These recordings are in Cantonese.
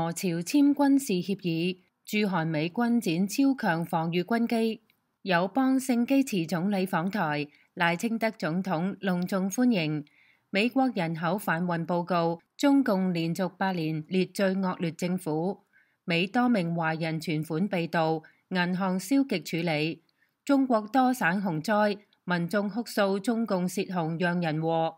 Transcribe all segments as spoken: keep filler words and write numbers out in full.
俄朝簽軍事協議，駐韓美軍展超強防禦軍機。友邦聖基茨總理訪台，賴清德總統隆重歡迎。美國人口販運報告，中共連續八年列最惡劣政府。美多名華人存款被盜，銀行消極處理。中國多省洪災，民眾哭訴中共洩洪讓人禍。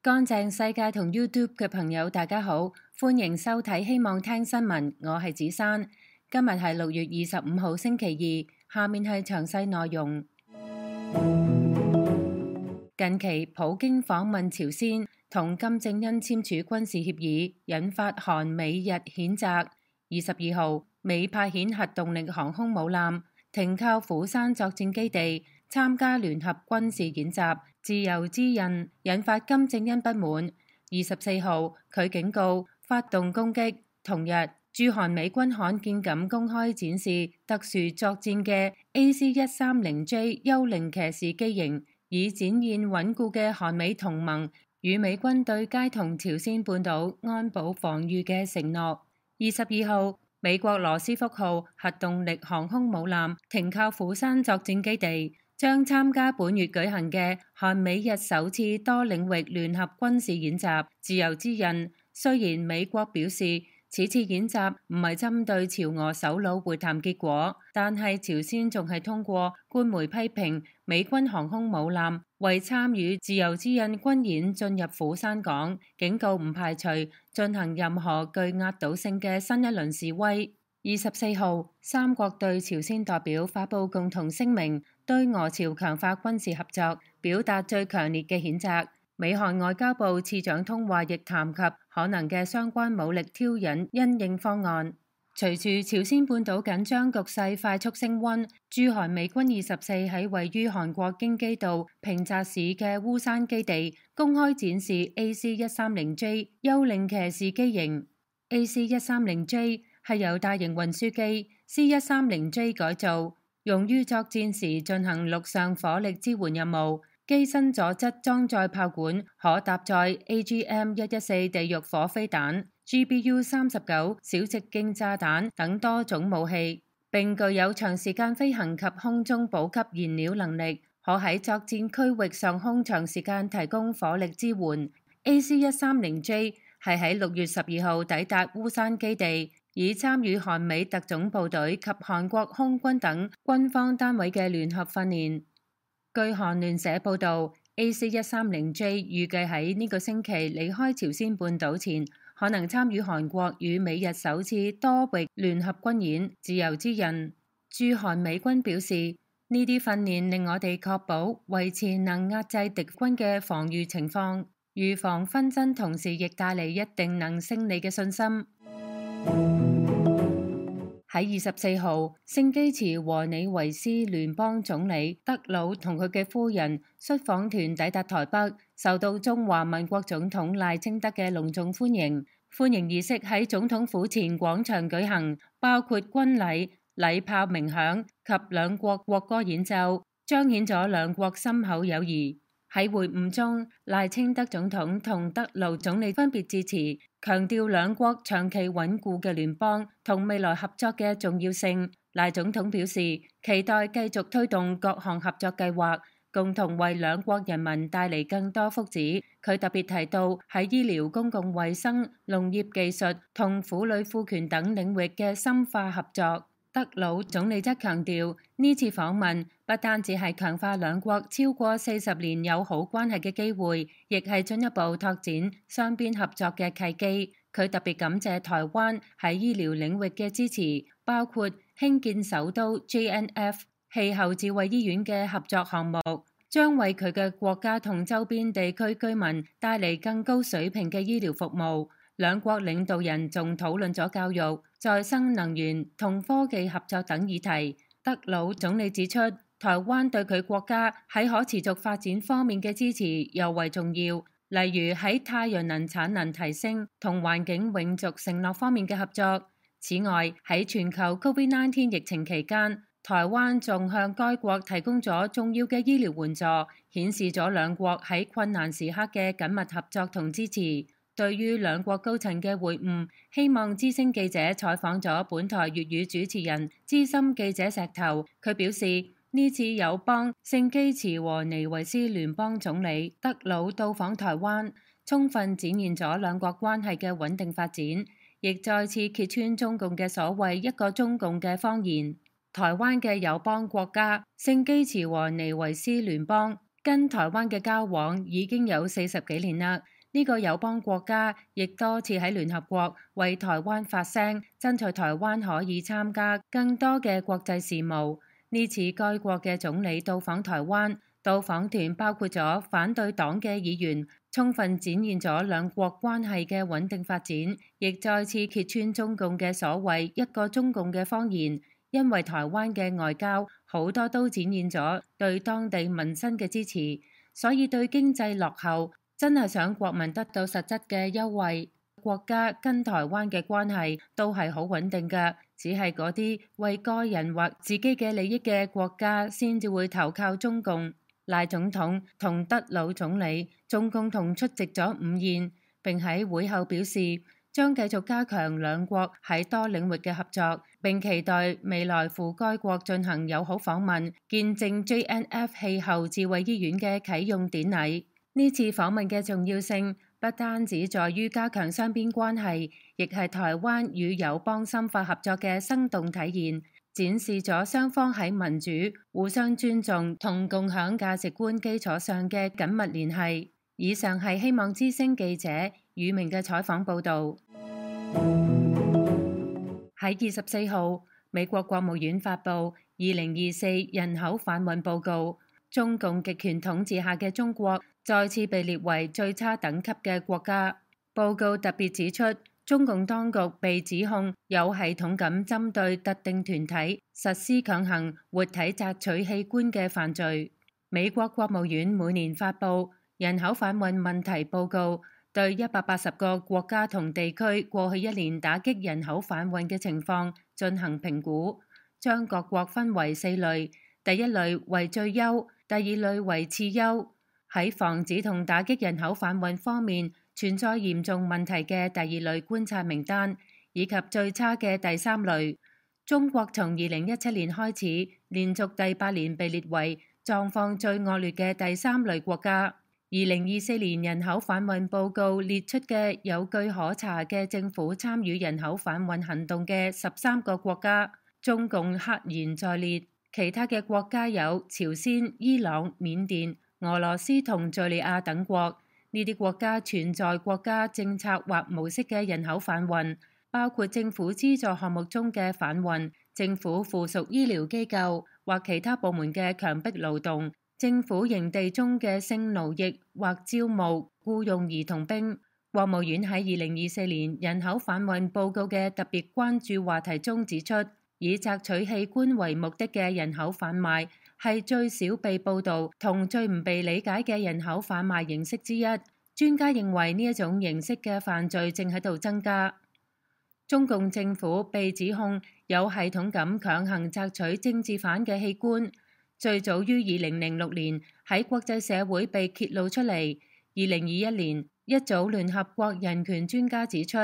乾淨世界同 YouTube 嘅朋友大家好，歡迎收睇希望聽新聞，我係子珊。今日係六月二十五號星期二，下面係詳細內容。近期普京訪問朝鮮，同金正恩簽署軍事協議，引發韓美日譴責。二十二號，美派遣核動力航空母艦停靠釜山作戰基地，參加聯合軍事演習，自由之刃，引發金正恩不滿。二十四號，佢警告發動攻擊。同日，駐韓美軍罕見咁公開展示特殊作戰嘅 A C 一三零 J 幽靈騎士機型，以展現穩固嘅韓美同盟與美軍對皆同朝鮮半島安保防禦嘅承諾。二十二號，美國羅斯福號核動力航空母艦停靠釜山作戰基地，將參加本月舉行嘅韓美日首次多領域聯合軍事演習。自由之刃，雖然美國表示此次演習唔係針對朝俄首腦會談結果，但係朝鮮仲係通過官媒批評美軍航空母艦為參與自由之刃軍演進入釜山港，警告唔排除進行任何具壓倒性嘅新一輪示威。二十四號，三國對朝鮮代表發布共同聲明，對俄朝強化軍事合作表達最強烈嘅譴責。美韓外交部次長通話亦談及可能嘅相關武力挑釁因應方案。隨住朝鮮半島緊張局勢快速升溫，駐韓美軍二十四喺位於韓國京畿道平澤市嘅烏山基地公開展示 A C 一三零 J 幽靈騎士機型。A C 一三零 J 係由大型運輸機 C 一三零 J 改造，用於作戰時進行陸上火力支援任務。機身左側裝載炮管，可搭載 A G M 一一四地獄火飛彈、G B U 三十九小直徑炸彈等多種武器，並具有長時間飛行及空中補給燃料能力，可喺作戰區域上空長時間提供火力支援。A C 一三零 J 係喺六月十二號抵達烏山基地，以參與韓美特種部隊及韓國空軍等軍方單位嘅聯合訓練。據韓聯社報導 ，A C 一三零 J 預計喺呢個星期離開朝鮮半島前，可能參與韓國與美日首次多域聯合軍演。自由之刃，駐韓美軍表示，呢啲訓練令我哋確保維持能壓制敵軍嘅防禦情況，預防紛爭，同時亦帶嚟一定能勝利嘅信心。喺二十四號，聖基茨和尼維斯聯邦總理德魯同佢嘅夫人率訪團抵達台北，受到中華民國總統賴清德嘅隆重歡迎。歡迎儀式喺總統府前廣場舉行，包括軍禮、禮炮鳴響及兩國國歌演奏，彰顯咗兩國深厚友誼。喺會晤中，賴清德總統同德魯總理分別致辭，強調兩國長期穩固嘅聯邦同未來合作嘅重要性。賴總統表示，期待繼續推動各項合作計劃，共同為兩國人民帶嚟更多福祉。佢特別提到喺醫療、公共衛生、農業技術同婦女賦權等領域嘅深化合作。德魯總理則強調，呢次訪問不單止係強化兩國超過四十年友好關係嘅機會，亦係進一步拓展雙邊合作嘅契機。佢特別感謝台灣喺醫療領域嘅支持，包括興建首都 J N F 氣候智慧醫院嘅合作項目，將為佢嘅國家同周邊地區居民帶嚟更高水平嘅醫療服務。兩國領導人仲討論咗教育、再生能源同科技合作等議題。德魯總理指出，台灣對佢國家喺可持續發展方面嘅支持尤為重要，例如喺太陽能產能提升同環境永續承諾方面嘅合作。此外，喺全球 COVID 十九 疫情期間，台灣仲向該國提供咗重要嘅醫療援助，顯示咗兩國喺困難時刻嘅緊密合作同支持。對於兩國高層嘅會晤，希望之聲記者採訪咗本台粵語主持人資深記者石頭，佢表示呢次友邦聖基茨和尼維斯聯邦總理德魯到訪台灣，充分展現咗兩國關係嘅穩定發展，亦再次揭穿中共嘅所謂一個中共嘅謊言。台灣嘅友邦國家聖基茨和尼維斯聯邦跟台灣嘅交往已經有四十幾年啦。呢個友邦國家亦多次喺聯合國為台灣發聲，爭取台灣可以參加更多嘅國際事務。呢次該國嘅總理到訪台灣，到訪團包括咗反對黨嘅議員，充分展現咗兩國關係嘅穩定發展，亦再次揭穿中共嘅所謂一個中共嘅謊言。因為台灣嘅外交好多都展現咗對當地民生嘅支持，所以對經濟落後真係想國民得到實質嘅優惠。國家跟台灣嘅關係都係好穩定嘅，只係嗰啲為個人或自己嘅利益嘅國家先至會投靠中共。賴總統同德魯總理仲共同出席咗午宴，並喺會後表示將繼續加強兩國喺多領域嘅合作，並期待未來赴該國進行友好訪問，見證 J N F 氣候智慧醫院嘅啟用典禮。呢次訪問嘅重要性不單止在於加強雙邊關係，亦係台灣與友邦深化合作嘅生動體現，展示咗雙方喺民主、互相尊重同共享價值觀基礎上嘅緊密聯繫。以上係希望之聲記者宇明嘅採訪報導。喺二十四號，美國國務院發布二零二四人口販運報告，中共極權統治下嘅中國再次被列為最差等級嘅國家。報告特別指出，中共當局被指控有系統咁針對特定團體實施強行活體摘取器官嘅犯罪。美國國務院每年發布人口販運問題報告，對一百八十個國家同地區過去一年打擊人口販運嘅情況進行評估，將各國分為四類，第一類為最優，第二類為次優。喺防止同打擊人口販運方面存在嚴重問題嘅第二類觀察名單，以及最差嘅第三類。中國從二零一七年開始，連續第八年被列為狀況最惡劣嘅第三類國家。二零二四年人口販運報告列出嘅有據可查嘅政府參與人口販運行動嘅十三個國家，中共赫然在列。其他嘅國家有朝鮮、伊朗、緬甸、俄羅斯同敘利亞等國。呢啲國家存在國家政策或模式嘅人口販運，包括政府資助項目中嘅販運、政府附屬醫療機構或其他部門嘅強迫勞動、政府營地中嘅性奴役或招募僱用兒童兵。國務院喺二零二四年人口販運報告嘅特別關注話題中指出，以摘取器官為目的嘅人口販賣係最少被報導同最唔被理解嘅人口販賣形式之一。專家認為呢一種形式嘅犯罪正喺度增加。中共政府被指控有系統咁強行摘取政治犯嘅器官，最早於二零零六年喺國際社會被揭露出嚟。二零二一年，一組聯合國人權專家指出，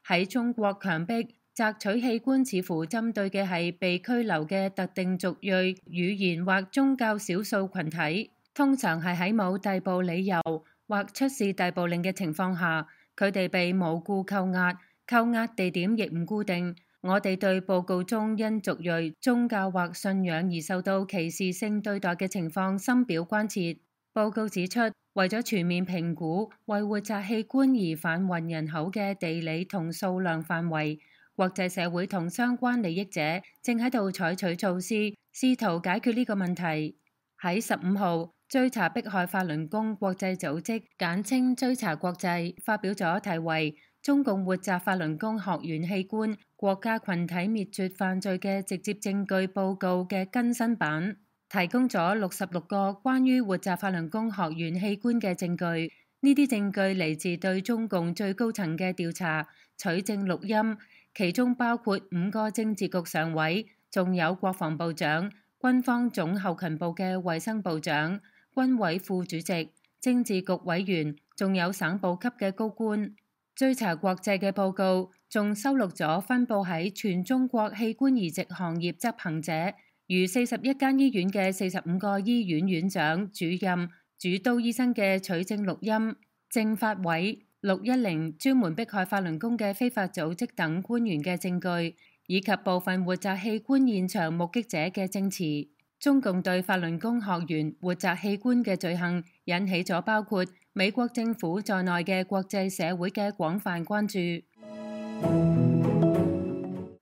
喺中國強迫摘取器官似乎針對嘅係被拘留嘅特定族裔、語言或宗教少數群體，通常係喺冇逮捕理由或出示逮捕令嘅情況下，佢哋被無故扣押，扣押地點亦唔固定。我哋對報告中因族裔、宗教或信仰而受到歧視性對待嘅情況深表關切。報告指出，為咗全面評估為活摘器官而販運人口嘅地理同數量範圍，國際社會同相關利益者正喺度採取措施，試圖解決呢個問題。喺十五號，追查迫害法輪功國際組織簡稱追查國際發表咗題為中共活摘法輪功學員器官、國家群體滅絕犯罪嘅直接證據報告嘅更新版，提供咗六十六個關於活摘法輪功學員器官嘅證據。呢啲證據嚟自對中共最高層嘅調查、取證錄音，其中包括五個政治局常委，仲有國防部長、軍方總後勤部嘅衛生部長、軍委副主席、政治局委員，仲有省部級嘅高官。追查國際嘅報告仲收錄咗分佈喺全中國器官移植行業執行者，如四十一間醫院嘅四十五個醫院院長、主任、主刀醫生嘅取證錄音，政法委、六一零專門迫害法輪功嘅非法組織等官員嘅證據，以及部分活摘器官現場目擊者嘅證詞。中共對法輪功學員活摘器官嘅罪行引起咗包括美國政府在內嘅國際社會嘅廣泛關注。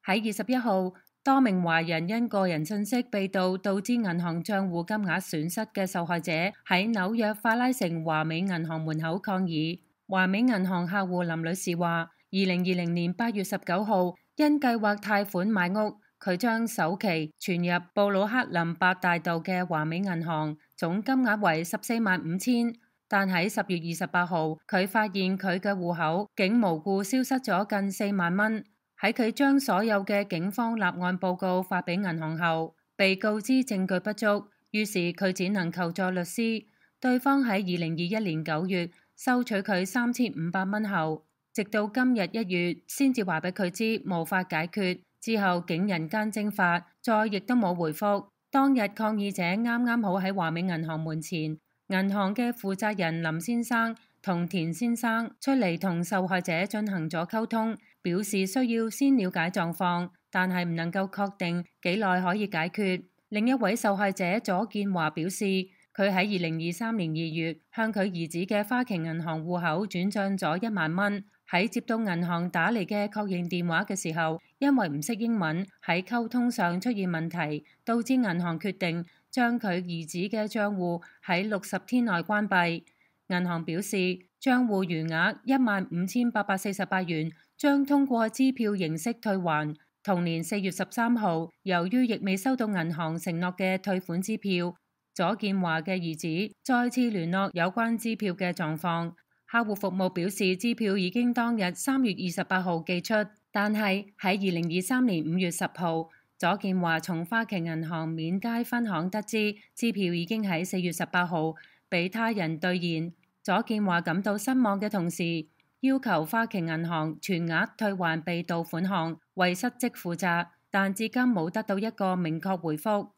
喺二十一號，多名華人因個人信息被盜導致銀行賬戶金額損失嘅受害者喺紐約法拉盛華美銀行門口抗議。華美銀行客戶林女士話，二零二零年八月十九號因計劃貸款買屋，佢將首期存入布魯克林八大道嘅華美銀行，總金額為十四萬五千。但喺十月二十八號，佢發現佢嘅戶口竟無故消失咗近四萬蚊。喺佢將所有嘅警方立案報告發俾銀行後，被告知證據不足，於是佢只能求助律師。對方喺二零二一年九月收取佢三千五百蚊後，直到今日一月先至話俾佢知無法解決。之後竟人間蒸發，再亦都冇回覆。當日抗議者啱啱好喺華美銀行門前，銀行嘅負責人林先生同田先生出嚟同受害者進行咗溝通，表示需要先了解狀況，但係唔能夠確定幾耐可以解決。另一位受害者左建華表示，佢喺二零二三年二月向佢兒子嘅花旗銀行戶口轉賬咗一萬蚊。喺接到銀行打嚟嘅確認電話嘅時候，因為唔識英文，喺溝通上出現問題，導致銀行決定將佢兒子嘅賬戶喺六十天內關閉。銀行表示，賬戶餘額一萬五千八百四十八元將通過支票形式退還。同年四月十三號，由於亦未收到銀行承諾嘅退款支票，左建華嘅兒子再次聯絡有關支票嘅狀況。客戶服務表示，支票已經當日三月二十八號寄出，但係喺二零二三年五月十號，左建華從花旗銀行免街分行得知，支票已經喺四月十八號被他人兌現。左建華感到失望嘅同時，要求花旗銀行全額退還被盜款項，為失職負責，但至今冇得到一個明確回覆。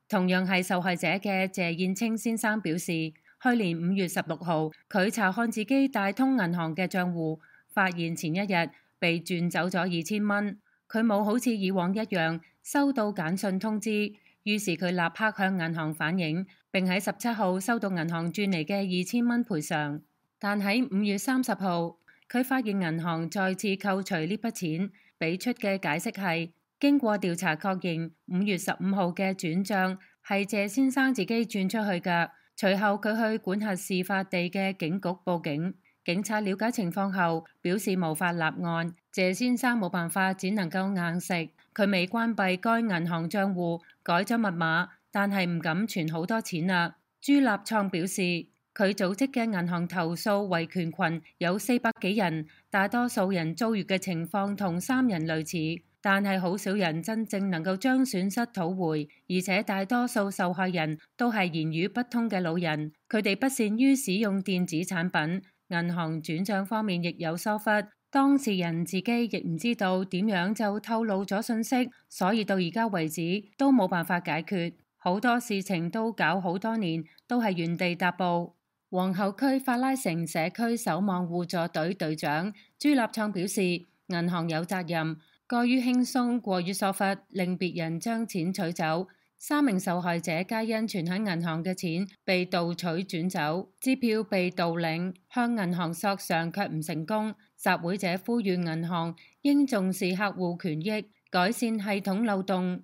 同樣係受害者嘅謝燕青先生表示，去年五月十六號，佢查看自己大通銀行嘅賬戶，發現前一日被轉走咗二千蚊。佢冇好似以往一樣收到簡訊通知，於是佢立刻向銀行反映，並喺十七號收到銀行轉嚟嘅二千蚊賠償。但喺五月三十號，佢發現銀行再次扣除呢筆錢，俾出嘅解釋係經過調查確認，五月十五號嘅轉賬係謝先生自己轉出去㗎。隨後佢去管轄事發地嘅警局報警，警察了解情況後表示無法立案，謝先生冇辦法，只能夠硬食。佢未關閉該銀行賬戶，改咗密碼，但係唔敢存好多錢啦。朱立創表示，佢組織嘅銀行投訴維權群有四百幾人，大多數人遭遇嘅情況同三人類似。但係好少人真正能夠將損失討回，而且大多數受害人都係言語不通嘅老人，佢哋不善於使用電子產品，銀行轉賬方面亦有疏忽，當事人自己亦唔知道點樣就透露咗信息，所以到而家為止都冇辦法解決，好多事情都搞好多年，都係原地踏步。皇后區法拉盛社區守望互助隊隊長朱立創表示，銀行有責任過於輕鬆，過於疏忽，令別人將錢取走。三名受害者皆因存喺銀行嘅錢被盜取轉走，支票被盜領，向銀行索償卻唔成功。集會者呼籲銀行應重視客戶權益，改善系統漏洞。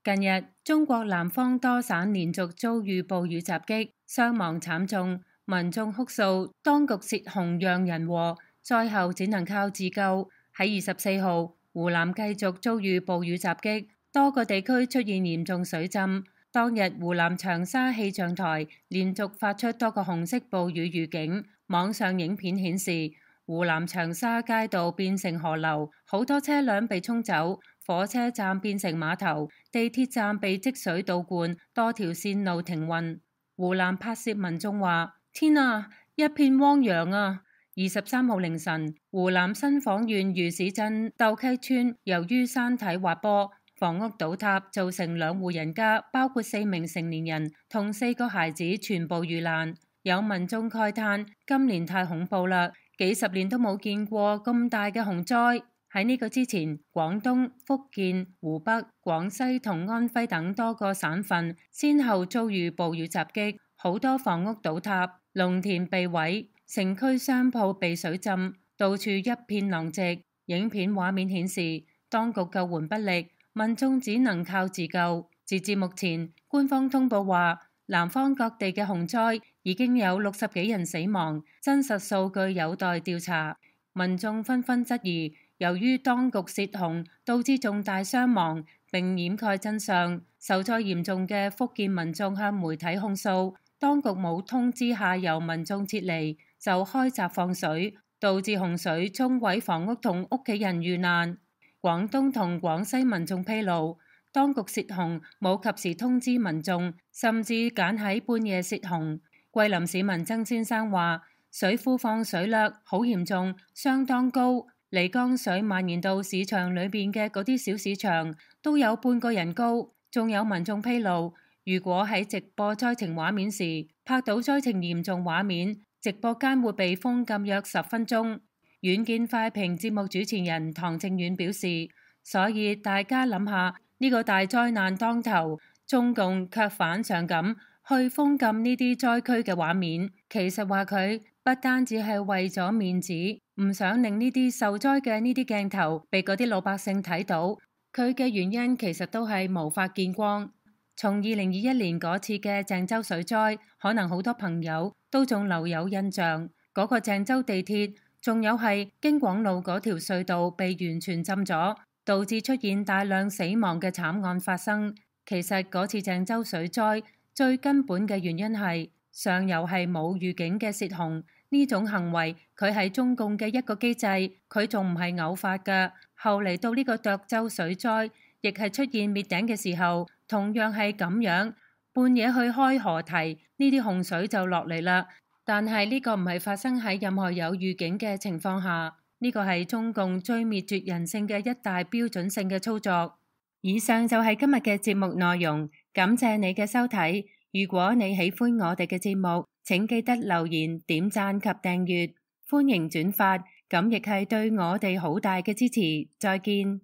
近日，中國南方多省連續遭遇暴雨襲擊，傷亡慘重，民眾哭訴當局洩洪讓人禍。災後只能靠自救。喺二十四號，湖南繼續遭遇暴雨襲擊，多個地區出現嚴重水浸。當日，湖南長沙氣象台連續發出多個紅色暴雨預警。網上影片顯示，湖南長沙街道變成河流，好多車輛被沖走，火車站變成碼頭，地鐵站被積水倒灌，多條線路停運。湖南拍攝民眾話：天啊，一片汪洋啊！二十三號凌晨，湖南新晃縣魚市鎮竇溪村由於山體滑坡，房屋倒塌，造成兩戶人家，包括四名成年人同四個孩子全部遇難。有民眾慨嘆：今年太恐怖啦，幾十年都冇見過咁大嘅洪災。喺呢個之前，廣東、福建、湖北、廣西同安徽等多個省份先後遭遇暴雨襲擊，好多房屋倒塌，農田被毀。城區商鋪被水浸，到處一片狼藉。影片畫面顯示，當局救援不力，民眾只能靠自救。截至目前，官方通報話，南方各地嘅洪災已經有六十幾人死亡，真實數據有待調查。民眾紛紛質疑，由於當局洩洪導致重大傷亡，並掩蓋真相。受災嚴重嘅福建民眾向媒體控訴，當局冇通知下游民眾撤離，就開閘放水，導致洪水沖毀房屋同屋企人遇難。廣東同廣西民眾披露，當局洩洪冇及時通知民眾，甚至揀喺半夜洩洪。桂林市民曾先生話：水庫放水量好嚴重，相當高，漓江水蔓延到市場裏邊嘅嗰啲小市場都有半個人高。仲有民眾披露，如果喺直播災情畫面時拍到災情嚴重畫面，直播間會被封禁約十分鐘。遠見快評節目主持人唐正遠表示，所以大家諗下，呢個大災難當頭，中共卻反常咁去封禁呢啲災區嘅畫面。其實話佢不單止係為咗面子，唔想令呢啲受災嘅呢啲鏡頭被嗰啲老百姓睇到，佢嘅原因其實都係無法見光。從二零二一年嗰次嘅鄭州水災，可能好多朋友都仲留有印象。嗰個鄭州地鐵，仲有係京廣路嗰條隧道被完全浸咗，導致出現大量死亡嘅慘案發生。其實嗰次鄭州水災最根本嘅原因係上游係冇預警嘅洩洪，呢種行為佢係中共嘅一個機制，佢仲唔係偶發㗎。後嚟到呢個涿州水災，亦係出現滅頂嘅時候，同樣係咁樣，半夜去開河堤，呢啲洪水就落嚟啦。但係呢個唔係發生喺任何有預警嘅情況下，呢個係中共最滅絕人性嘅一大標準性嘅操作。以上就係今日嘅節目內容，感謝你嘅收睇。如果你喜歡我哋嘅節目，請記得留言、點讚及訂閱，歡迎轉發，咁亦係對我哋好大嘅支持。再見。